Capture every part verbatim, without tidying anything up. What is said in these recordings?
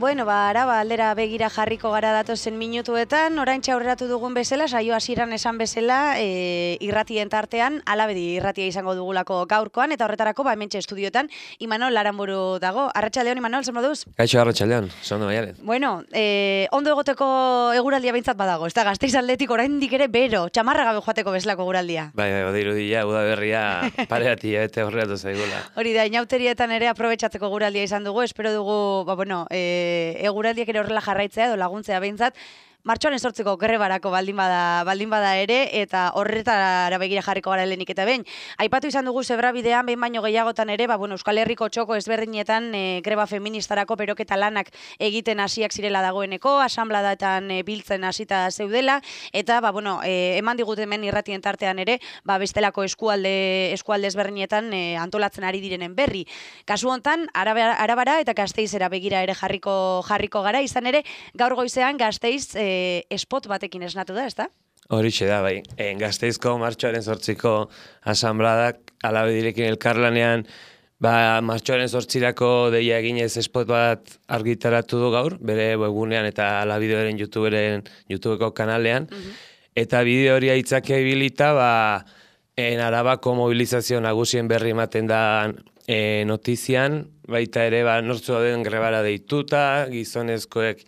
Bueno, ba, araba aldera begira jarriko gara datozen minutuetan, oraintxe aurreratu dugun bezala, saio hasieran esan bezala, e, irratien tartean, alabedi irratia izango dugulako gaurkoan, eta horretarako, ba, hementxe estudiotan, Imanol Aranburu dago. Arratsaldeon, Imanol, zer moduz? Kaixo, arratsaldeon, zondo baiaren. Bueno, e, ondo egoteko eguraldia behintzat badago, ez da, Gasteiz aldetik oraindik ere bero, txamarra gabe joateko bezalako eguraldia. Bai, bai, bada irudia, udaberria pareatia, eta horreatu zaigula. Hori da, inauterietan ere aprobetxatzeko eguraldia izan dugu, espero dugu, ba, bueno, e, eguraldiak ere horrela jarraitzea edo laguntzea behintzat, martxoaren sortzeko grebarako baldin bada, baldin bada ere, eta horretara begira jarriko gara lehenik eta behin. Aipatu izan dugu zebrabidean, behin baino gehiagotan ere, ba, bueno, Euskal Herriko txoko ezberdinetan e, greba feministarako peroketa lanak egiten hasiak zirela dagoeneko, asanbladatan e, biltzen hasita zeudela, eta ba, bueno, e, eman digute hemen irratien tartean ere, ba, bestelako eskualde, eskualde ezberdinetan e, antolatzen ari direnen berri. Kasu hontan, Arabara, Arabara eta Gasteizera begira ere jarriko, jarriko gara, izan ere, gaur goizean Gasteiz e, spot batekin esnatu da, ezta? Horixe da, bai. E, Gasteizko martxoaren sortziko asanbladak alabedirekin elkarlanean, ba, martxoaren sortzirako deia eginez spot bat argitaratu du gaur, bere webgunean eta alabideoren YouTuberen, YouTubeko kanalean, uh-huh. Eta bideo hori aitzake ibilita, ba, en Arabako mobilizazio nagusien berri ematen da e, notizian, baita ere, ba, nortzu den grebara deituta, gizonezkoek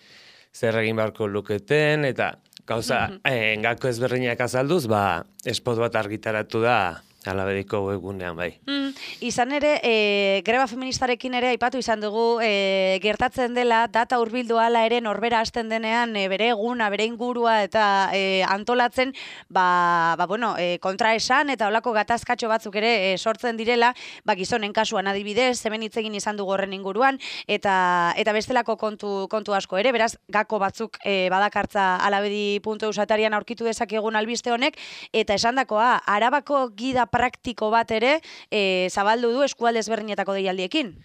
zer egin beharko luketen, eta gauza, mm-hmm. eh, gako ezberdinak azalduz, ba, spot bat argitaratu da alabediko webgunean, bai. Mm, izan ere, e, greba feministarekin ere aipatu izan dugu, e, gertatzen dela, data hurbildu hala ere norbera hasten denean, e, bere eguna, bere ingurua eta e, antolatzen, ba, ba bueno, e, kontra esan eta olako gatazkatxo batzuk ere e, sortzen direla, ba, gizonen kasuan adibidez, hemen hitz egin izan dugu horren inguruan, eta eta bestelako kontu, kontu asko ere, beraz, gako batzuk e, badakartza alabedi puntu eus atarian aurkitu dezakegun albiste honek, eta esandakoa, Arabako gida praktiko bat ere e, zabaldu du eskualde ezberdinetako deialdiekin.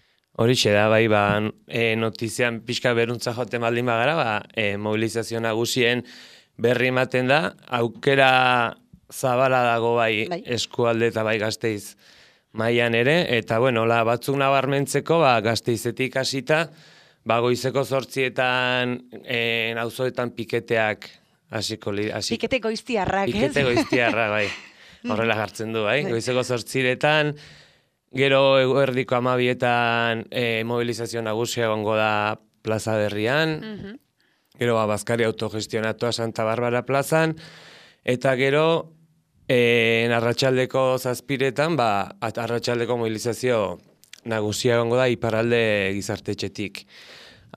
Horixe da, bai, ba, e, notizian pixka beruntza joten baldin bagara, ba, e, mobilizazio nagusien berri ematen da, aukera zabala dago bai, bai. Eskualde eta bai Gasteiz mailan ere, eta bueno, la, batzuk nabarmentzeko, ba, Gasteizetik hasita, ba, goizeko zortzietan, e, auzoetan piketeak hasiko li... Hasi... Pikete goiztiarrak, ez? Pikete goiztiarrak, bai. Horrela jartzen du, bai? Goizeko zortziretan, gero eguerdiko amabietan e, mobilizazio nagusia egongo da plaza berrian, uh-huh. Gero ba, Bazkari autogestionatua Santa Barbara plazan, eta gero e, arratsaldeko zazpiretan, ba, arratsaldeko mobilizazio nagusia egongo da iparralde gizartetxetik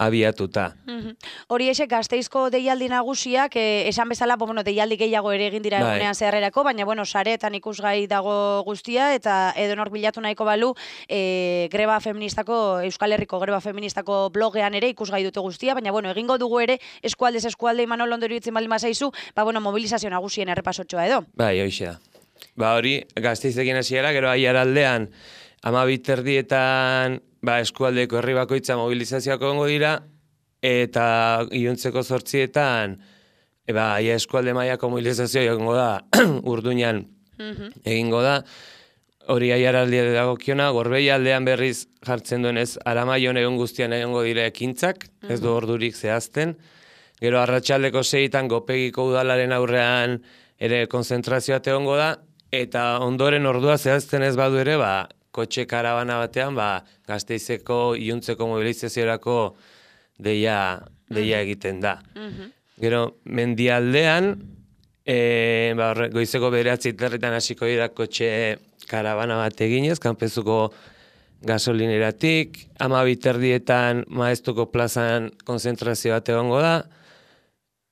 abiatuta. Mm-hmm. Hori esek Gasteizko deialdi nagusiak, eh, esan bezala, bueno, deialdi gehiago ere egin dira bai. Egunean zeharrerako, baina bueno, sareetan ikusgai dago guztia, eta edonor bilatu nahiko balu, eh, greba feministako, Euskal Herriko greba feministako blogean ere ikusgai dute guztia, baina bueno, egingo dugu ere, eskualdez eskualde Imanol ondo iruditzen baldin bazaizu, ba bueno, mobilizazio nagusien errepasotxoa edo. Bai, hoixe da. Ba hori, Gasteizekin hasiera, gero Aiaraldean, amabiterdietan, ba, eskualdeko herri bakoitza mobilizazioak egongo dira, eta iluntzeko zortzietan, e, ba, ia eskualde mailako mobilizazioa egongo da, Urduñan mm-hmm. egingo da, hori Aiaraldia dagokiona, Gorbei aldean berriz jartzen duenez, Aramaion egon guztian egongo dira ekintzak, mm-hmm. ez du ordurik zehazten, gero arratsaldeko seitan Gopegiko udalaren aurrean ere konzentrazioa egongo da, eta ondoren ordua zehazten ez badu ere, ba, kotxe karabana batean, ba, Gasteizeko iluntzeko mobilizaziorako deia, deia egiten da. Mm-hmm. Gero, mendialdean, e, ba, goizeko bederatzi terretan hasiko dira kotxe karabana bat eginez, kanpezuko gasolineratik, amabiterdietan Maestuko plazan konzentrazio bat egongo da,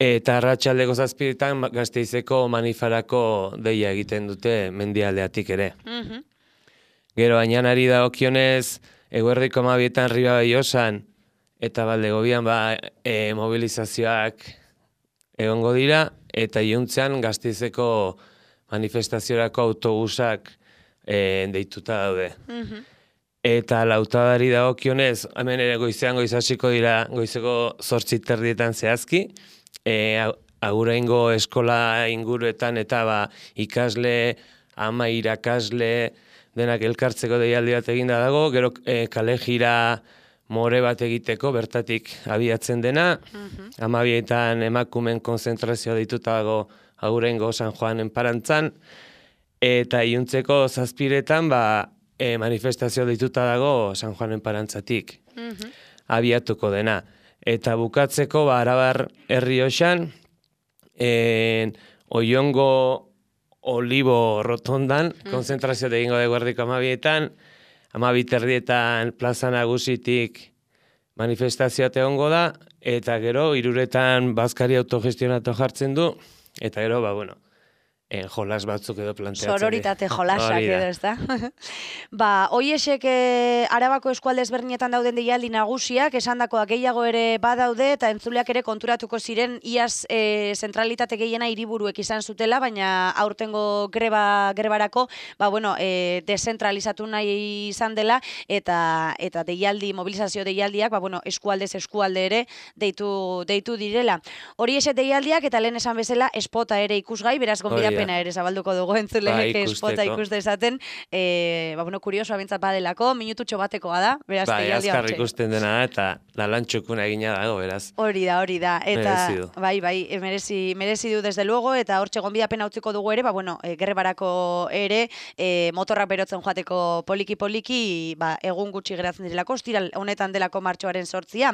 eta arratsaldeko zazpiretan Gasteizeko manifarako deia egiten dute mendialdeatik ere. Mm-hmm. Gero, Añanari dagokionez, eguerdiko amabietan Riba Baiosan, eta Baldegobian ba, e, mobilizazioak egongo dira, eta iluntzean Gasteizeko manifestaziorako autobusak e, deituta daude. Mm-hmm. Eta lautadari dagokionez, hemen ere goizean goiz hasiko dira, goizeko zortzi terdietan zehazki, e, aguraingo eskola inguruetan eta ba, ikasle, ama irakasle, denak elkartzeko deialdi bat eginda dago, gero e, kale jira more bat egiteko, bertatik abiatzen dena, Mhm. amabietan emakumen konzentrazioa dituta dago Agurengo San Juanen parantzan, eta iluntzeko zazpiretan ba, e, manifestazio dituta dago San Juanen parantzatik Mhm. abiatuko dena. Eta bukatzeko ba, Arabar herri hoxan, en, Oiongo Olibo rotondan, konzentrazio egingo dugu erdiko amabietan, amabit erdietan plaza nagusitik manifestazioa egongo da, eta gero, iruretan bazkari autogestionatu jartzen du, eta gero, ba, bueno, en jolas batzuk edo planteatzen. Sororitate jolasak Hori da. edo, ezta? Ba, hoiesek eh, Arabako eskualde ezberdinetan dauden deialdi nagusiak, esandakoak gehiago ere badaude, eta entzuleak ere konturatuko ziren iaz eh, zentralitate gehiena hiriburuek izan zutela, baina aurtengo greba grebarako, ba, bueno, eh, dezentralizatu nahi izan dela, eta eta deialdi, mobilizazio deialdiak, ba, bueno, eskualdez eskualde ere deitu, deitu direla. Horiesek deialdiak, eta lehen esan bezala, espota ere ikusgai, beraz gonbidapena pena ere zabalduko dugu entzuleek Ba, espota ikusteko. ikus dezaten, e, ba, bueno, kuriosoa bintzat badelako, minututxo batekoa da, beraz, Bai, deialdi azkar hortxe. ikusten dena da, eta lalantxukuna egina dago, beraz. Hori da, hori da. Eta, Merezi du. bai, bai, e, merezi, merezi du desde luego, eta hortxe gonbidapena utziko dugu ere, ba, bueno, e, gerrebarako ere, e, motorrak berotzen joateko poliki-poliki, ba, egun gutxi geratzen direlako, ostiral honetan delako martxoaren sortzia.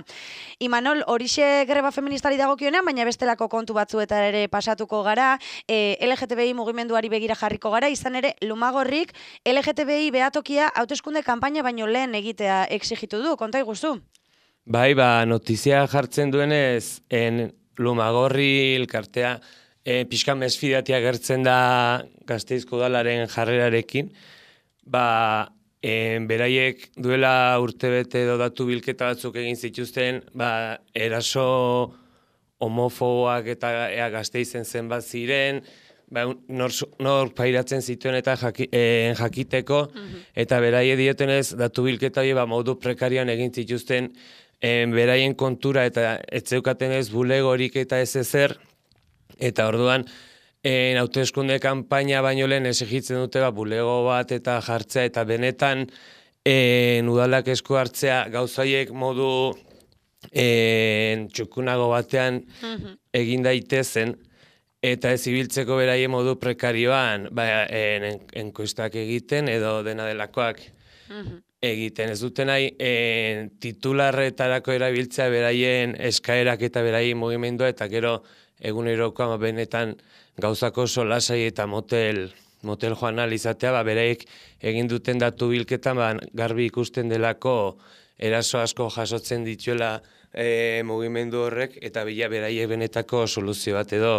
Imanol, horixe greba feministari dagokionean, baina bestelako kontu batzueta ere pasatuko gara, e, L G T B I mugimenduari begira jarriko gara, izan ere, Lumagorrik L G T B I behatokia hauteskunde kanpaina baino lehen egitea exigitu du, konta iguzu? Bai, ba, notizia jartzen duenez, en Lumagorri elkartea, e, pixka mesfidatia gertzen da Gasteizko udalaren jarrerarekin, ba, en, beraiek duela urtebete edo datu bilketa batzuk egin zituzten, ba, eraso homofoboak eta ea Gasteizen zenbat ziren, ba, nor, nor pairatzen zituen eta jaki, eh, jakiteko, eta beraie diotenez datu bilketa hori ba, modu prekarioan egin zituzten eh, beraien kontura eta etzeukaten ez bulegorik eta ez ezer, eta orduan eh, hauteskunde kanpaina baino lehen exigitzen dute ba, bulego bat eta jartzea eta benetan eh, udalak esku hartzea gauzaiek modu eh, txukunago batean egin daitezen, eta ez ibiltzeko beraien modu prekarioan ba, en, enkuestak egiten edo dena delakoak egiten. Ez duten nahi en, titularretarako erabiltzea beraien eskaerak eta beraien mugimendua, eta gero egunerokoa benetan gauzako solasai eta motel motel joan ahal izatea, ba, beraiek egin duten datu bilketan ba, garbi ikusten delako eraso asko jasotzen dituela e, mugimendu horrek, eta bila beraiek benetako soluzio bat edo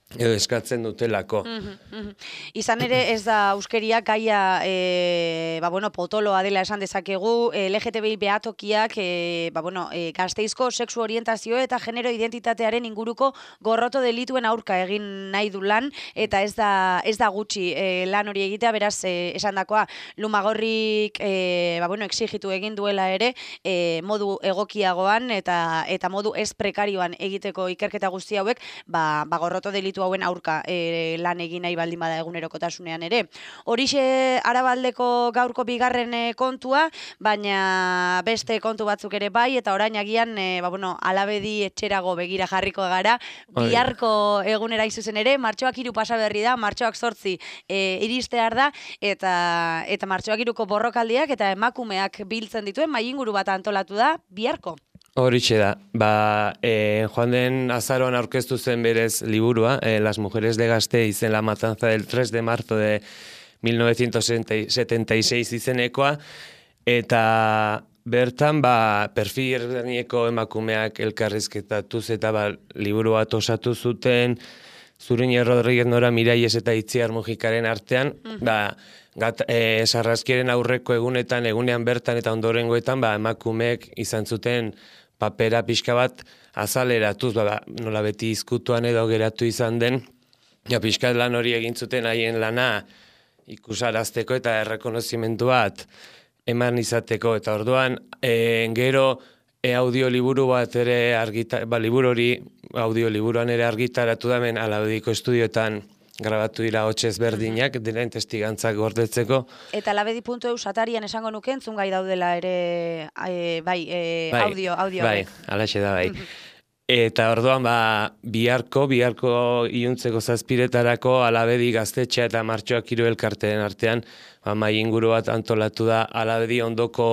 edo eskatzen dutelako. Izan ere ez da euskeria gaia e, ba, bueno, potoloa dela esan dezakegu, L G T B I behatokiak e, ba, bueno, e, Gasteizko sexu orientazio eta genero identitatearen inguruko gorroto delituen aurka egin nahi du lan, eta ez da, ez da gutxi e, lan hori egitea, beraz e, esandakoa Lumagorrik e, ba, bueno, exigitu egin duela ere e, modu egokiagoan eta eta modu ez prekarioan egiteko ikerketa guzti hauek, ba, ba gorroto delitu hauen aurka e, lan egin nahi baldin bada egunerokotasunean ere. Horixe Arabaldeko gaurko bigarren e, kontua, baina beste kontu batzuk ere bai, eta orain agian e, ba, bueno, alabedi etxerago begira jarriko gara, biharko egunera izuzen ere, martxoak hiru pasa berri da, martxoak zortzi e, iristear da, eta eta martxoak hiruko borrokaldiak eta emakumeak biltzen dituen mahai inguru bat antolatu da biharko. Horixe da, ba, e, joan den azaroan aurkeztu zen berez liburua, e, Las mujeres de Gasteiz en la matanza del tres de marzo de mil novecientos setenta y seis izenekoa, eta bertan, ba, perfil ezberdineko emakumeak elkarrizketatuz eta ba, liburu bat osatu zuten, Zuriñe Rodríguez Nora Miraies eta Itziar Mujikaren artean, mm-hmm. ba, gat, e, sarraskiaren aurreko egunetan, egunean bertan eta ondorengoetan, ba, emakumeek izan zuten papera pixka bat azaleratuz, ba, nola beti izkutuan edo geratu izan den, ja, pixka lan hori egin zuten haien lana ikusarazteko eta errekonozimendu bat eman izateko, eta orduan, e, gero e, audioliburu bat ere argita, ba, liburu hori audioliburuan ere argitaratu damen Alabediko estudioetan grabatu dira hotz ezberdinak, diren testigantzak gordetzeko. Eta alabedi puntu eus atarian esango nuke entzun gai daudela ere, e, bai, e, bai, audio, audio. Bai, alaxe da, bai. Eta orduan, ba, biharko, biharko iluntzeko zazpiretarako alabedi gaztetxea eta martxoak hiru elkarteen artean, ba, mai inguru bat antolatu da alabedi ondoko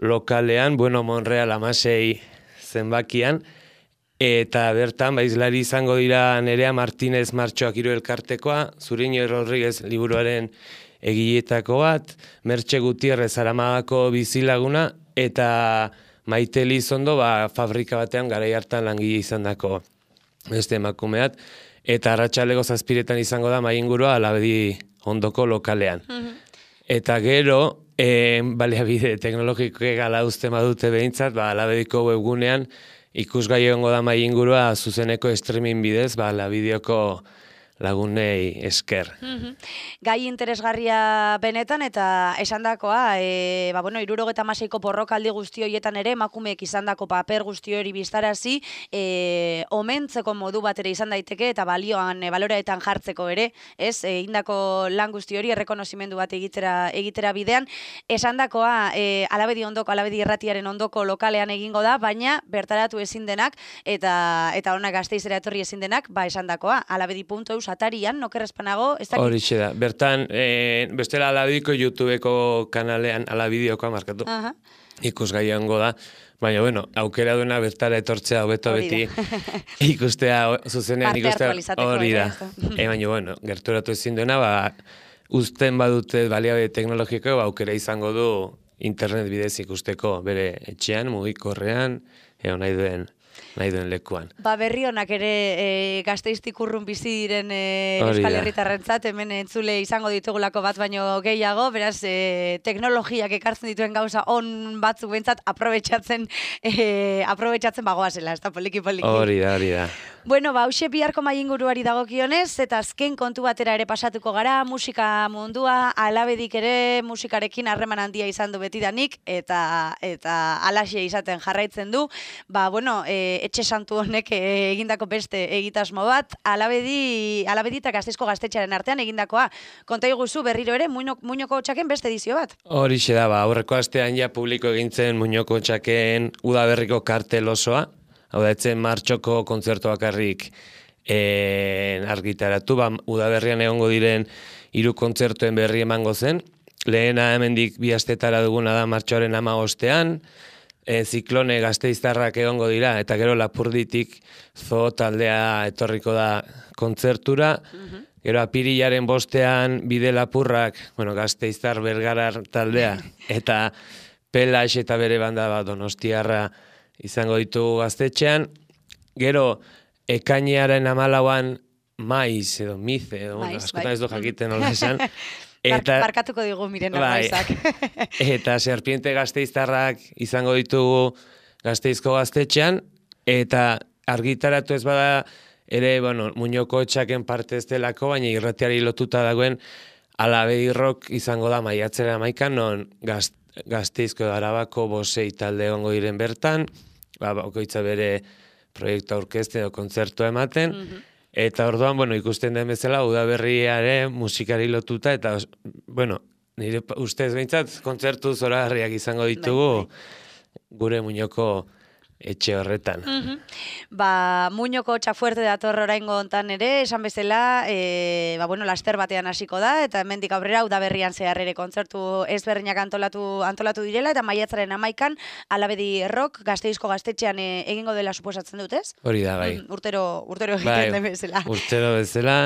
lokalean, bueno, Monreal amasei zenbakian, eta bertan, ba, izlari izango dira Nerea Martinez martxoak hiru elkartekoa, Zuriño Rodríguez liburuaren egiletako bat, Mertxe Gutierrez Aramagako bizilaguna, eta Maite Elizondo, ba, fabrika batean garai hartan langile izandako beste emakumeat, eta arratsaleko zazpiretan izango da mai ingurua alabedi ondoko lokalean. Eta gero, e, baliabide teknologikoek ala uzten badute behintzat, ba, alabediko webgunean ikusgai egongo da mai ingurua zuzeneko streaming bidez, ba, alabideoko lagunei esker. Mm-hmm. Gai interesgarria benetan eta esandakoa, e, ba, bueno, irurogeta maseiko porrokaldi guzti horietan ere, emakumeek izandako paper guzti hori biztarazi, e, omentzeko modu bat ere izan daiteke eta balioan, e, baloreetan jartzeko ere, ez, e, indako lan guzti hori errekonozimendu bat egitera, egitera bidean, esandakoa, e, alabedi ondoko, alabedi irratiaren ondoko lokalean egingo da, baina bertaratu ezin denak, eta eta honak Gasteizera etorri ezin denak, ba, esandakoa, alabedi puntu eus atarian, nokerrezpanago, ez dakit? Horixe da. Bertan, e, bestela alabidiko YouTubeko kanalean, alabideokoa markatu. Uh-huh. Ikusgai egongo da. Baina, bueno, aukera duena bertara etortzea hobeto beti ikustea, zuzenean ikustea hori da. E, baina, bueno, gerturatu ezin duena, ba, uzten badute baliabide teknologiko, ba, aukera izango du internet bidez ikusteko bere etxean, mugikorrean, eo nahi duen nahi duen lekuan. Ba, berri honak ere e, Gasteiztik urrun bizi diren e, Euskal Herritarrentzat, hemen entzule izango ditugulako bat baino gehiago, beraz, e, teknologiak ekartzen dituen gauza on batzuk bentsat aprobetxatzen e, aprobetxatzen bagoazela, ez da poliki-poliki. Hori da, hori da. Bueno, ba, hauxe biharko mai inguruari dagokionez, eta azken kontu batera ere pasatuko gara, musika mundua, alabedik ere musikarekin harreman handia izan du betidanik, eta eta alaxe izaten jarraitzen du. Ba, bueno, e, etxe santu honek e, egindako beste egitasmo bat, alabedi, alabedi eta Gasteizko gaztetxearen artean egindakoa. Konta iguzu berriro ere, Muñoko txaken beste edizio bat? Horixe da, ba, aurreko astean ja publiko egintzen Muñoko txaken udaberriko kartel osoa, hau da, etzen martxoko kontzertu bakarrik e, argitaratu, ba, udaberrian egongo diren hiru kontzertuen berri emango zen. Lehena hemendik bi astetara duguna da martxoaren hamabostean, e, ziklone Gasteiztarrak egongo dira, eta gero Lapurditik zo taldea etorriko da kontzertura. Uh-huh. Gero apirilaren bostean bide lapurrak, bueno, Gasteiztar Bergarar taldea, eta Pelax eta bere banda bat Donostiarra izango ditugu gaztetxean. Gero, ekainearen amalauan maiz edo mize, edo, bueno, askotan bai. Ez du jakiten nola esan. Eta, Barkatuko digu miren bai, maizak. Eta serpiente Gasteiztarrak izango ditugu Gasteizko gaztetxean, eta argitaratu ez bada ere, bueno, Muñoko txaken parte ez delako, baina irratiari lotuta dagoen alabedi rock izango da maiatzera amaikan, non gaz, Gasteizko Arabako bosei talde egongo diren bertan, ba, bakoitza bere proiektu aurkezte edo kontzertua ematen, mm-hmm. Eta orduan, bueno, ikusten den bezala, udaberriare musikari lotuta, eta, bueno, nire ustez behintzat, kontzertu zoragarriak izango ditugu gure Muñoko etxe horretan. Mm-hmm. Ba, Muñoko txafuerte dator oraingo hontan ere, esan bezala, e, ba, bueno, laster batean hasiko da, eta hemendik aurrera udaberrian zehar ere kontzertu ezberdinak antolatu, antolatu direla, eta maiatzaren amaikan, alabedi rock, Gasteizko gaztetxean e, egingo dela suposatzen dut, ez? Hori da, bai. Mm, urtero, urtero egiten den bezala. Urtero bezala.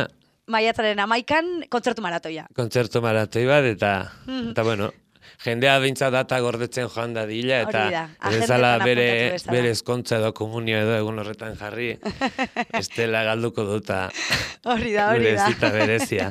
Maiatzaren amaikan, kontzertu maratoia. Kontzertu maratoi bat, eta, mm-hmm. eta bueno, jendea behintzat data gordetzen joan da dila, eta ezala bere, bere eskontza edo komunio edo egun horretan jarri, estela galduko duta hori da, hori da. Gure berezia.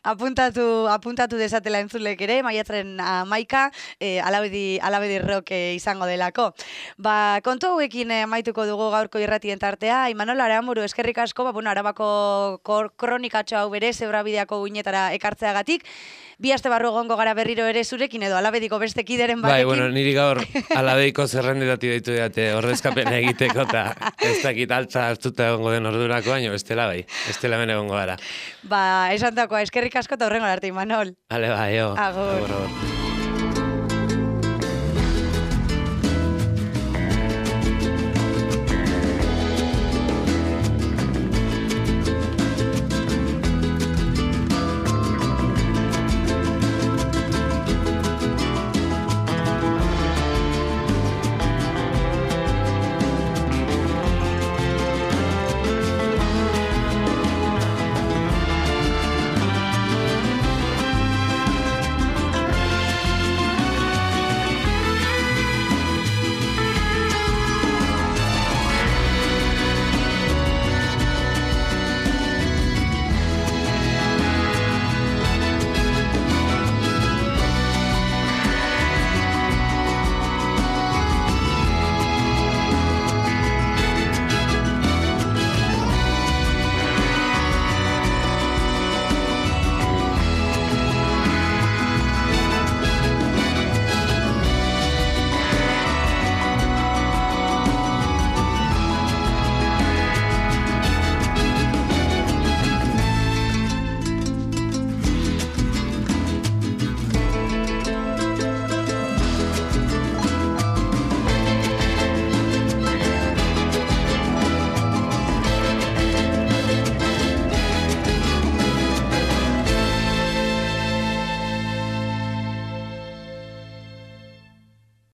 apuntatu, apuntatu desatela entzulek ere, maiatzaren amaika, e, alabedi, alabedi rock e, izango delako. Ba, kontu hauekin amaituko dugu gaurko irratien tartea, Imanol Aramuru eskerrik asko, ba, bueno, Arabako kronikatxo hau bere, zebrabideako uinetara ekartzeagatik, bi aste barru egongo gara berriro ere zurekin, batekin edo alabediko beste kideren Bai, batekin. bueno, niri gaur alabeiko zerrendetati deitu dute ordezkapen egiteko eta ez dakit altza hartuta egongo den ordurako, baina bestela bai, bestela hemen egongo gara. Ba, esan dakoa, eskerrik asko eta horrengo arte, Imanol. Ale, bai, jo. Agur. Agur, agur.